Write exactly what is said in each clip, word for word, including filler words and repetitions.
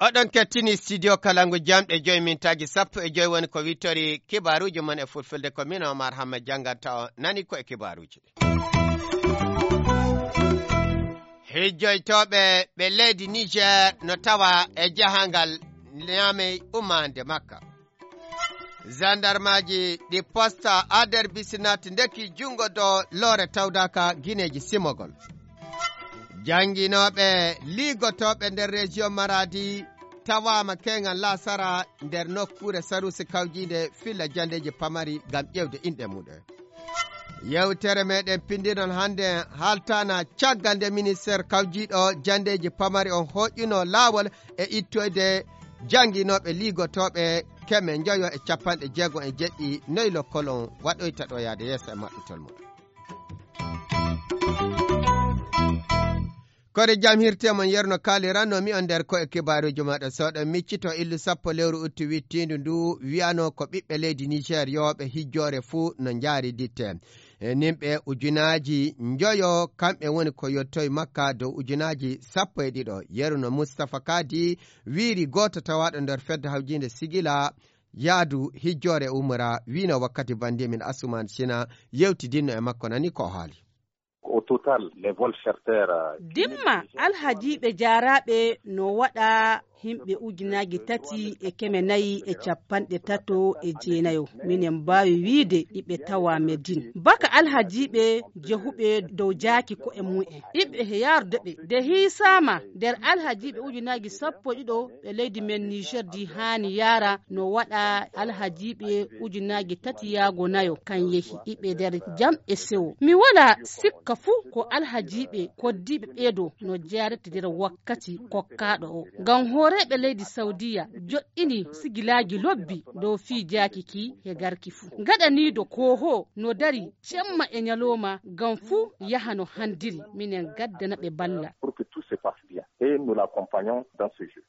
Oɗon kettini studio Kalangu jamɗe joy mintaaji sappo e joy woni ko wittori kibaaruuji mon e fulfulde, ko min Omar Hamma jannganta on. Nani ko e kibaaruuji ɗi. Hijjoytooɓe ɓe leydi Niger no tawa e jahangal Niamey ummande Makka. Zandarmaaji ɗi posta ader bisinat ndeki junngo dow loore tawdaaka gineeji simogol. Jannginooɓe liigotooɓe nder région Maradi tawaama keeŋal laasara nder nokkuure sarusi kawjiinde filla janndeeji pamari ngam ƴeewde inɗe muɗen. Yewtere meɗen pindinon hannde haaltana caggal nde ministeer kawjiiɗo janndeeji pamari on hooƴuno laawol e ittoyde jannginooɓe liigotooɓe keme njoyo e capanɗe jeego e jeɗɗi noy lokkolon waɗoyta ɗo yaade yeeso e maɓɓitol mum. Kore jam hirte mon yerno kaaliranno mi on nder ko e kibaaruuji maɗa soɗo miccito illu sappo lewru uttu wittiindu ndu wiyano ko ɓiɓɓe leydi Niger yooɓe hijjoore fuu no njaari ditte. E nimɓe ujunaaji njoyo kamɓe woni ko yottoy makka dow ujunaaji sappo e ɗiɗo. Yeru no Mustapha Kadi wiiri gooto tawaaɗo nder fedde hawjiinde Sigila yaadu hijjoore umra wiino wakkati bandi min Asuman Sina yewtidinno e makko nani ko haali. Au total, les vols charters, euh, dimma alhajiiɓe jaaraaɓe no waɗa himɓe ujunaaji tati e keme nayi e capanɗe tato e jeenayo. Minen mbaawi wiide iɓe tawa Medine. Baka alhajiiɓe jehuɓe dow jaaki ko'e mumen. Iɓe he yaarde ɓe. De hiisaama nder alhajiiɓe ujunaaji sappo e ɗiɗo ɓe leydi men Niger di haani yaara no waɗa alhajiiɓe ujunaaji tati yaago nayo kan yehi. Iɓe nder jam e sewo. Mi wala sikka fuu ko alhajiiɓe koddiiɓe ɓeeɗo no jaarete nder wakkati kokkaaɗo o. Ngam hooreeɓe leydi Saudiya joɗɗini sigilaaji lobbi dow fii jaaki ki he garki fuu. Gaɗaniido kooho no dari cemma e nyalooma ngam fuu yaha no handiri. Minen gaddana ɓe balla. Pour que tout se passe bien. Et nous l'accompagnons dans ce jeu.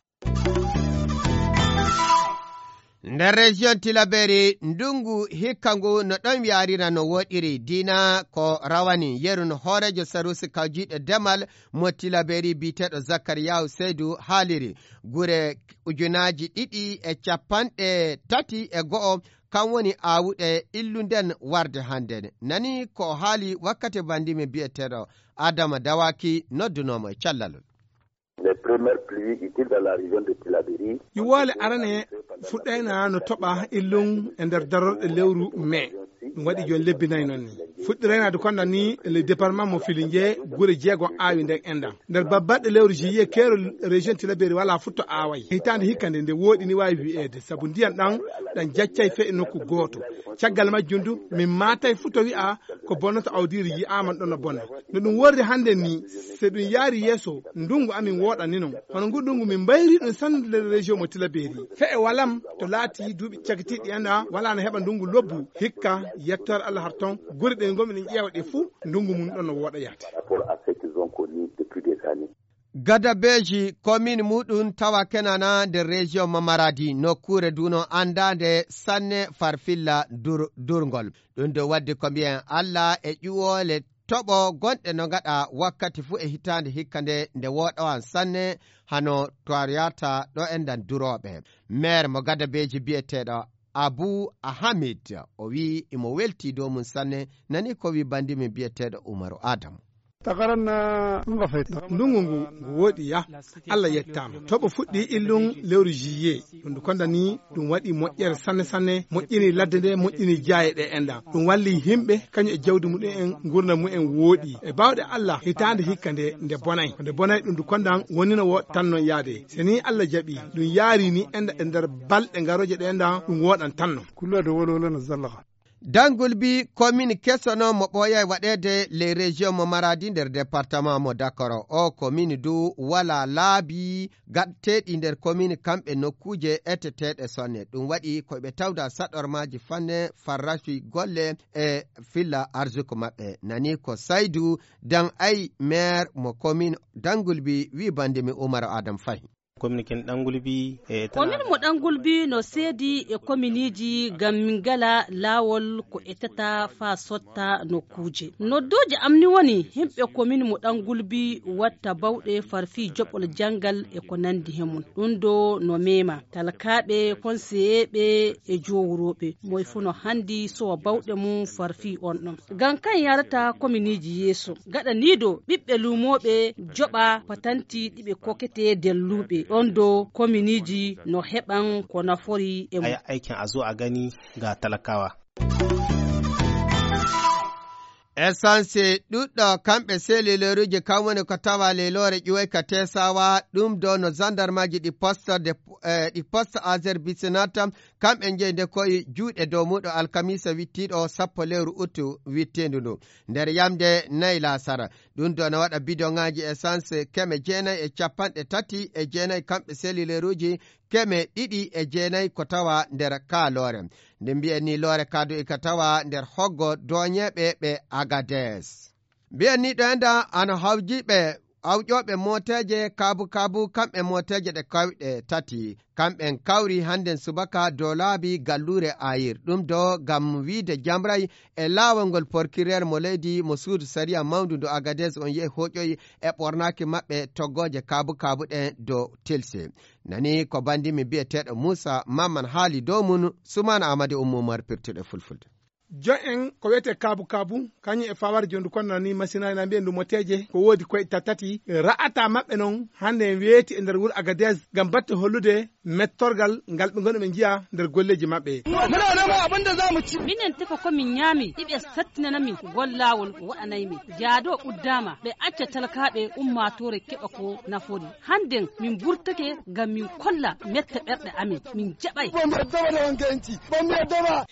Nder région Tilaberi, ndungu hikka ngu no ɗon yaarira no woɗiri. Dina ko rawani yeru no hooreejo sarusi kawjiiɗo demal mo Tilaberi biyeteeɗo Zakariyahu Seydu haaliri. Gure ujunaaji ɗiɗi e capanɗe tati e go'o kan woni aawuɗe illunden warde hannde. Nani ko haali wakkati bandimi biyeteeɗo Adama Dawaki noddunoomo e callalol. Les premières pluies utiles dans la région de Tilaberi. Ƴuwoole arane fuɗɗayna no toɓa illun e nder darorɗe lewru mai. Ɗum waɗi jooni lebbi nayi noon ni. Fuɗɗiraynaade konda ni le département mo Filinge gure jeegom aawi nder enɗam. Nder babbaɗɗe lewru juillet keero région Tilaberi wala futto aaway. Hitaande hikka nde nde wooɗi ni waawi wi'eede sabu ndiyan ɗan ɗan jaccay fe e nokku gooto. Caggal majjum du min maatay futto wi'a ko bonnata awdiiri yi'aama ɗon no bona. No ɗum worri hannde ni, so ɗum yaari yeeso, ndungu amin wooɗani non. Hono ngu ndungu min mbayri ɗum sannude nder région mo Tilaberi. Fe'e walam to laati duuɓi cakitiiɗi enɗa, wala no heɓa ndungu lobbu, hikka, yettoore Allah har ton, guri ɗe ngomi ɗen ƴeewa ɗe fuu, ndungu mum ɗon no wooɗa yaade. Par rapport à ce qu'ils ont connu depuis des années. Gadabeji komin muɗum tawa kenana nder région mo Maradi, nokkuure duno andaande sanne farfilla dur-, durngol. Ɗum ɗo waddi ko mbiyen Allah e ƴuwoole toɓo gonɗe no ngaɗa wakkati fuu e hitaande hikka nde, nde wooɗowan sanne hano toryata ɗo enɗan durooɓe. Maire mo Gadabeji biyeteeɗo Abu Ahamid, o wi'i imo welti dow mum sanne, nani ko wi bandi min biyeteeɗo Umaru Adamu. Takaran na nga fay. Ndungu ngu, ngu wooɗi ya. Allah yettaama. Toɓo fuɗɗi illun lewru juillet. Ɗum ndu konda ni, ɗum waɗi moƴƴere sanne sanne, moƴƴini ladde nde, moƴƴini jaaye ɗe enɗan. Ɗum walli yimɓe, kañum e jawdi mumen, ngurndan mumen wooɗi. E baawɗe Allah, hitaande hikka nde, nde bonay. Ko nde bonay ɗum ndu kondan woni no wooɗa tan non yaade. Se ni Allah jaɓi, ɗum yaari ni enɗan e nder balɗe ngarooje ɗe enɗan, ɗum wooɗan tan non. Kullo de wolo wolo no zallaka. Dangulbi, komin kesono mo ɓooyay waɗeede les régions mo Maradi nder département mo Dakoro. O komin du wala laabi gatteeɗi nder komin kamɓe nokkuuje eteteeɗe sonne. Ɗum waɗi ko ɓe tawda saɗormaaji fanne farrafi golle e filla arsuku maɓɓe. Nani ko Saydu Dan Ay, maire mo komin Dangulbi, wi bandi mi Umar Adam Fahi. Komin ɗan gulbi e tana komin mo ɗan gulbi no seedi e kominiiji ngam min ngala laawol ko etata faa sotta nokkuuje. Noddooje am ni woni yimɓe komin mo ɗan gulbi watta bawɗe far fii joɓol janngal e ko nanndi he mum. Ɗum ɗo no meema talkaaɓe, konseyeeɓe e joowrooɓe. Moy fuu no hanndi sowa bawɗe mum far fii on ɗon. Ngam kan yaarata kominiiji yeeso. Gaɗa nii ɗo ɓiɓɓe luumooɓe joɓa patanti ɗi ɓe koketee delluuɓe. Ɗon ɗo kominiiji no heɓan ko nafori e mum. Aya aikin a zo a gani ga talakawa. Essence ɗuɗɗo kamɓe selileruji kam woni ko tawa leyloore ƴuwoy ka Tesawa, ɗum ɗo no zandarmaji ɗi poste de, eh, ɗi poste Azer Bisinata, kamɓe njeyi nde koye juuɗe dow muɗo alkamisa wittiiɗo sappo lewru utu wittiindu ndu. Nder yamde nayi laasara. Ɗum ɗo no waɗa bidoŋaaji essence keme jeenayi e capanɗe tati e jeenayi kamɓe selileruji keme ɗiɗi e jeenayi ko tawa nder kaa loore. Nde mbiyen ni loore kadu e ka tawa nder hoggo dooñeeɓe ɓe Agades. Mbiyen ni ɗo enda ano hawjiiɓe awƴooɓe mooteeje kaabu kaabu kamɓe mooteeje ɗe kawɗe tati. Kamɓen kawri hannden subaka dow laabi galluure Ayir. Ɗum ɗo ngam wiide jamray e laawol ngol porkireer mo leydi mo suudu sariya mawndu ndu Agades on yehi hoƴoyi e ɓornaaki maɓɓe toggooje kaabu kaabu ɗen dow tilse. Nani ko bandimi biyeteeɗo Muusa Mamman haali dow mum, Sumaana Amadi Ummu Umar pirtuɗe fulfulde. Jo'en ko wiyetee kaabu kaabu, kañum e fawaare jondu kon nani masinaaji na mbiyen ndu moteeje, ko woodi koyɗe ta-, tati, ra'ata maɓɓe non hannde en weeti e nder wuro Agadez ngam batte hollude mettorgal ngal ɓe ngoni ɓe njiya nder golleeji maɓɓe. Minen tefa ko min ñaami, iɓe sattinana min gol laawol waɗanay min. Jaado uddaama, ɓe acca talakaaɓe ummaatoore keɓa ko nafori. Hannden min burtake ngam min kolla mette ɓerɗe amin, min jaɓay.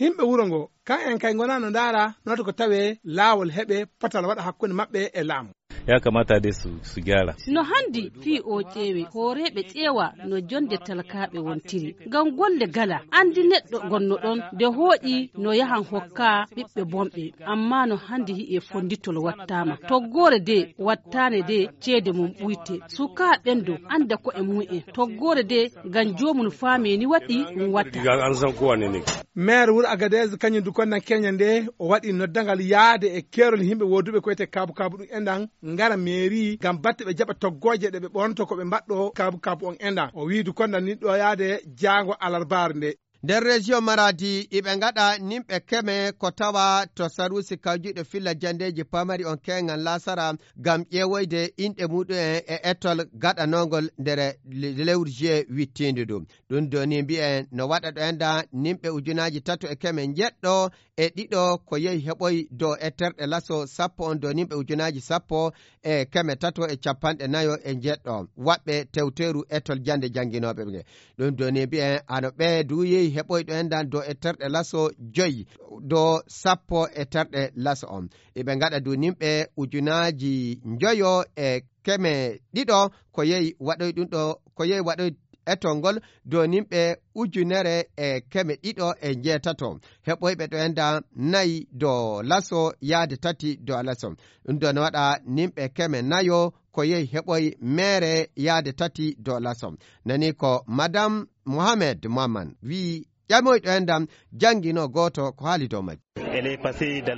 Yimɓe wuro ngo, kan en kay ngonaa no ndaara noto ko tawee laawol heɓe potal waɗa hakkunde maɓɓe e laamu. Ya kamata dai su, su gyara. No handi fii o ƴeewe, hooreeɓe ƴeewa no jonde talakaaɓe wontiri. Ngam golle gala, andi neɗɗo gonno ɗon, nde hooƴi no yahan hokka ɓiɓɓe bonɓe. Amma no handi hi'e fonditol wattaama. Toggoore de wattaane de ceede mum ɓuyte. Sukaa ɓen do anda ko'e mum en. Toggoore de ngam joomum faamee ni waɗi ɗum watta. Diga an san kowa ne ne. Maire wuro Agadez kañum du konnan keña nde o waɗi noddangal yaade e keerol yimɓe wooduɓe ko wiyetee kaabu kaabu ɗum enɗan ngara mairie ngam batte ɓe jaɓa toggooje ɗe ɓe ɓornoto ko ɓe mbaɗɗo kaabu kaabu on enɗan. O wii du konnan ni ɗo yaade jaango alarbaare nde. Nder région Maradi, iɓe ngaɗa nimɓe keme ko tawa to saruusi kawjuɗe filla jandeeji pamari on keŋal lasara ngam ƴeewoyde inɗe muɗum en e etol gaɗanongol nder le-, lewru juillet wittiindu ndu. Ɗum doni mbiyen no waɗa ɗo enda nimɓe ujunaaji tato e keme njeɗɗo e ɗiɗo ko yehi heɓoy dow etterɗe laso sappo on dow nimɓe ujunaaji sappo e keme tato e capanɗe nayo e njeɗɗo waɗɓe tewteeru etol jannde jannginooɓe ɓe. Ɗum doni mbiyen ano ɓe du yehi heɓoy ɗo endan dow etterɗe laso joyi dow sappo e terɗe laso on. Iɓe ngaɗa du nimɓe ujunaaji njoyo e keme ɗiɗo ko yehi waɗoy ɗum ɗo, ko yehi waɗoy etol ngol dow nimɓe ujunere e keme ɗiɗo e njeetato. Heɓoyɓe ɗo enda nayi dow laso yaade tati dow laso. Ɗum ɗo no waɗa nimɓe keme nayo ko yehi heɓoy meere yaade tati dow laso. Nani ko Madame Mohamed Mohamed wii ƴamoyɗo enɗam janngino gooto ko haali dow majji.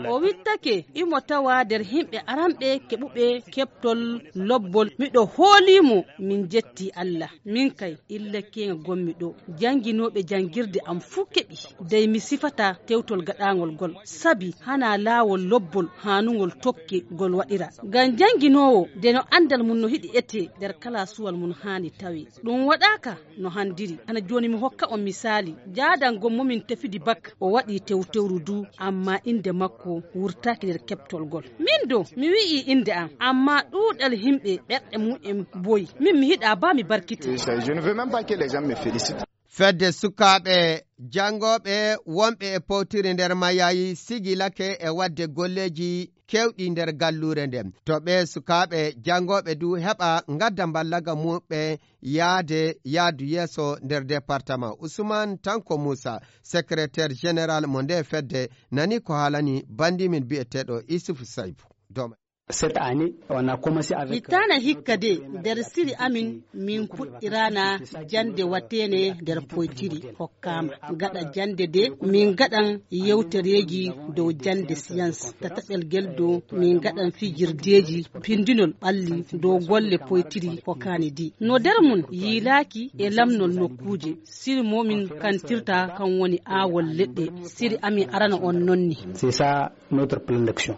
O wittake, imo tawa nder yimɓe aranɓe keɓuɓe keɓtol lobbol. Miɗo hoolii mo, min njetti Allah. Min kay, illa keeŋa ngonmi ɗo. Jannginooɓe janngirde am fuu keɓi. Dey mi sifata tewtol gaɗaangol ngol. Sabi hanaa laawol lobbol haanungol tokke ngol waɗira. Ngam jannginoowo, de no anndal mum no hiɗi etee nder kalaasuwal mum haani tawee. Ɗum waɗaaka no handiri. Hana jooni mi hokka on misaali. Jaadango mo min tefidi bak, o waɗi tewtewru du, amma innde makko wurtaaki nder keɓtol ngol. Min do, mi wi'i innde am, amma ɗuuɗal yimɓe ɓerɗe mum en boyi. Min mi hiɗa ba mi barkite. Je ne veux même pas que les gens me félicitent. Fedde sukaaɓe janngooɓe wonɓe e powtiri nder Mayayi sigilake e waɗde golleeji keewɗi nder galluure nden. To ɓee sukaaɓe janngooɓe du heɓa ngadda mballaga muɓɓe yaade yaadu yeeso nder département. Ousmane Tanko Moussa, secrétaire général mo nde fedde, nani ko haalani banndi min biyeteeɗo Issouf Saïbou. Dooma. Cette année, on a commencé avec... Hitaana hikka de, nder siri amin, min puɗɗiraana jannde wateene nder poytiri hokkaama. Gaɗa jannde de, min gaɗan yewtereeji dow jannde science. Tataɓel gel dow, min gaɗan fijirdeeji pindinol ɓalli dow golle poytiri hokkaani di. No nder mum yiilaaki e lamnol nokkuuje. Siri mo min kantirta kan woni aawol leɗɗe. Siri amin arana on nonni. C'est ça notre plan d'action.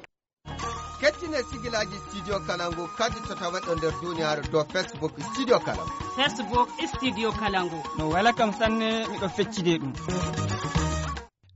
Kettine sigilaaji Studio Kalangu, kaddi to taweɗo nder duniyaaru dow Facebook Studio Kalangu. Facebook Studio Kalangu. No wela kam sanne, miɗo feccide ɗum.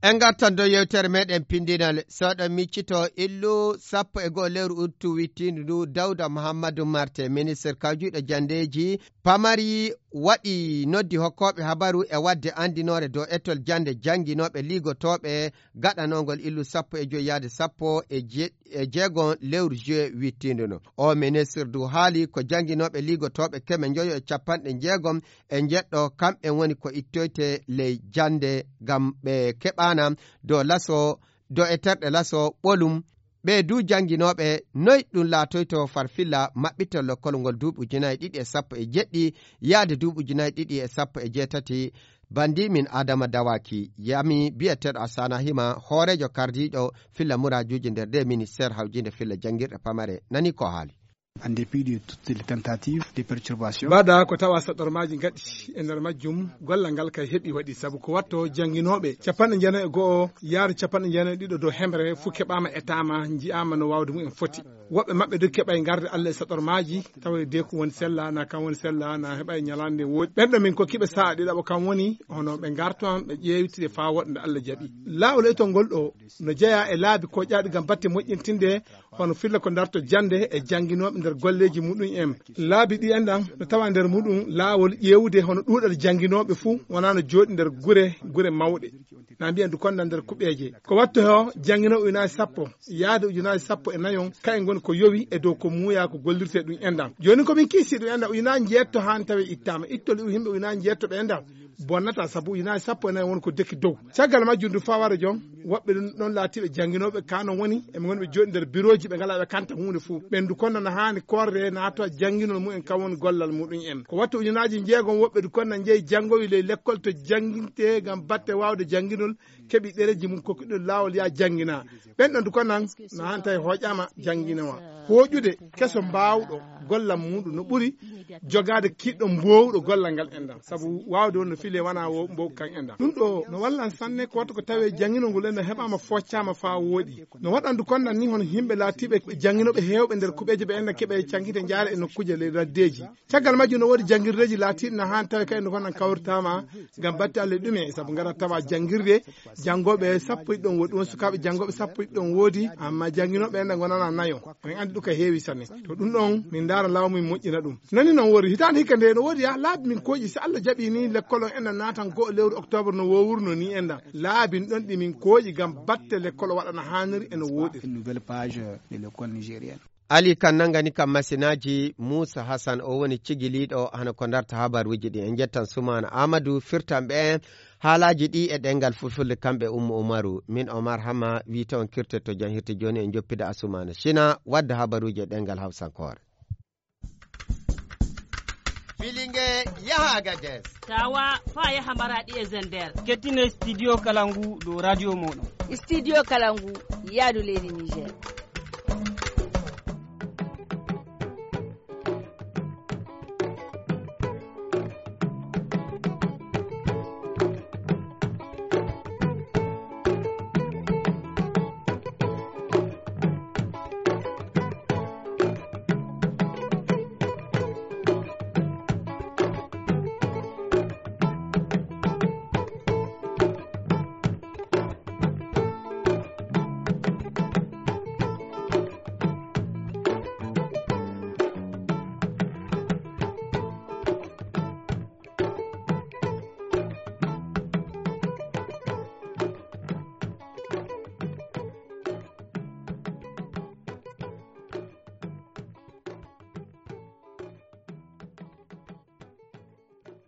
En ngartan dow yewtere meɗen pindinal. So ɗon miccito illu sappo e go'o lewru uttu wittiindu ndu, Dawda Muhammadu Marte, ministre kawjuɗo janndeeji pamari, waɗi noddi hokkooɓe habaru e waɗde anndinoore dow etol jannde jannginooɓe liigotooɓe gaɗanongol illu sappo e joy yaade sappo e je-, e jeegom lewru juillet wittiindu no. O ministre du haali ko jannginooɓe liigotooɓe keme njoyo e capanɗe jeegom e njeɗɗo, kamɓe woni ko ittoyte ley jannde ngam ɓe keɓaana dow laso, dow e terɗe laso ɓolum. Ɓe du jannginooɓe, noy ɗum laatoyto farfilla maɓɓitol lekkol ngol duuɓi ujunaaji ɗiɗi e sappo e jeɗɗi yaade duuɓi ujunaaji ɗiɗi e sappo e jeetati. Bandi min Adama Dawaki yami biyeteeɗo Asana Hima, hooreejo kardiiɗo filla muraajuuji nder ɗe ministeer hawjinde filla janngirɗe pamare. Nani ko haali. En dépit de toutes les tentatives de perturbation. Mbaɗa ko tawa saɗormaaji ngaɗi e nder majjum, gollal ngal kay heɓi waɗi, sabu ko watto jannginooɓe capanɗe jeenayi e go'o yaade capanɗe jeenayi e ɗiɗo dow hemre fuu keɓaama, etaama, nji'aama no waawde mumen foti. Woɓɓe maɓɓe du keɓay ngarde Allah e saɗormaaji, tawa de ko woni sella, na kan woni sella, na heɓa e ñalaande nde woodi. Ɓen ɗo min kokkiɓe sa'a ɗiɗaɓo kan woni, hono ɓe ngarto han, ɓe ƴeewtide faa woɗɗa nde Allah jaɓi. Laawol etol ngol ɗo no jeyaa e laabi koƴaaɗi ngam batte moƴƴintinde, hono filla ko darto jannde e jannginooɓe nder golleeji muɗum en. Laabi ɗi enɗan no tawa nder muɗum laawol ƴeewude hono ɗuuɗal jannginooɓe fuu wonaa no jooɗi nder gure, gure mawɗe. Na mbiyen du konda nder kuɓeeje. Ko watto he o jannginooɓe ujunaaji sappo yaade ujunaaji sappo e nayon, kayen ngoni ko yowi e dow ko muuyaa ko gollirtee ɗum enɗan. Jooni ko min kiisii ɗum enɗan, ujunaaji njeetto haani tawi ittaama. Ittol yimɓe ujunaaji njeetto ɓe enɗan bonnata, sabu ujunaaji sappo e nayi woni ko deki dow. Caggal majjum du faa wara jon, woɓɓe ɗum ɗon laatiiɓe jannginooɓe, kaa non woni, eɓe ngoni ɓe jooɗi nder birooji, ɓe ngalaa ɓe kanta huunde fuu. Ɓen du konno no haani korre naatoo jannginol mumen, kan woni gollal muɗum en. Ko wattu ujunaaji jeegom woɓɓe du konno njehi janngowi ley lekkol to janngintee ngam batte waawde jannginol, keɓi ɗereeji mum kokkuɗi ɗum laawol yaa jannginaa. Ɓen ɗon du konno no haani tawi hooƴaama jannginoowa. Hooƴude keso mbaawɗo gollal muɗum no ɓuri jogaade kiiɗɗo mboowɗo gollal ngal enɗan. Sabu waawde won no filee wanaa wo mbow kan enɗan. Ɗum ɗo no wallan sanne ko wattu ko tawee jannginol ngol enɗan heɓaama foccaama faa wooɗi. No waɗan du konno ni hono yimɓe laatiiɓe jannginooɓe heewɓe nder kuɓeeje ɓe enɗan keɓe cankite njaare e nokkuuje ley laddeeji. Caggal majjum no woodi janngirdeeji laatiiɗi no haani tawi kay no konno kawritaama ngam batte Allah ɗume, sabu ngara tawa janngirde janngooɓe sappo e ɗiɗon woodi, won sukaaɓe janngooɓe sappo e ɗiɗon woodi, amma jannginooɓe enɗan ngonana nayo. On anndi ɗum ka heewi sanne. To ɗum ɗon, min ndaara laamu min moƴƴina ɗum. Nani non woodi, hitaande hikka nde no woodi ya, laabi min kooƴi, si Allah jaɓi ni, lekkol on enɗan naatan go'o lewru octobre no wowruno ni enɗan. Laabi ɗon ɗi min kooƴi ngam batte lekkol o waɗana haaniri e no wooɗiri. Une nouvelle page de l'école nigérienne. Ali kan nangani kam masinaaji, Muusa Hasan o woni cigiliiɗo hano ko darta habaruuji ɗi. En njettan Sumaana Aamadu firtanɓe en haalaaji ɗi e ɗemngal fulfulde, kamɓe Ummu Umaru. Min Omar Hama wiyte on kirte to janhirde jooni, en njoppida Asumaana Sina wadda habaruuji e ɗemngal hawsankoore. Filinge yaha Agadez. Tawa faa yaha Maraɗi e Zender. Kettine Studio Kalangu dow radio mooɗon. Studio Kalangu yaadu leydi Niger.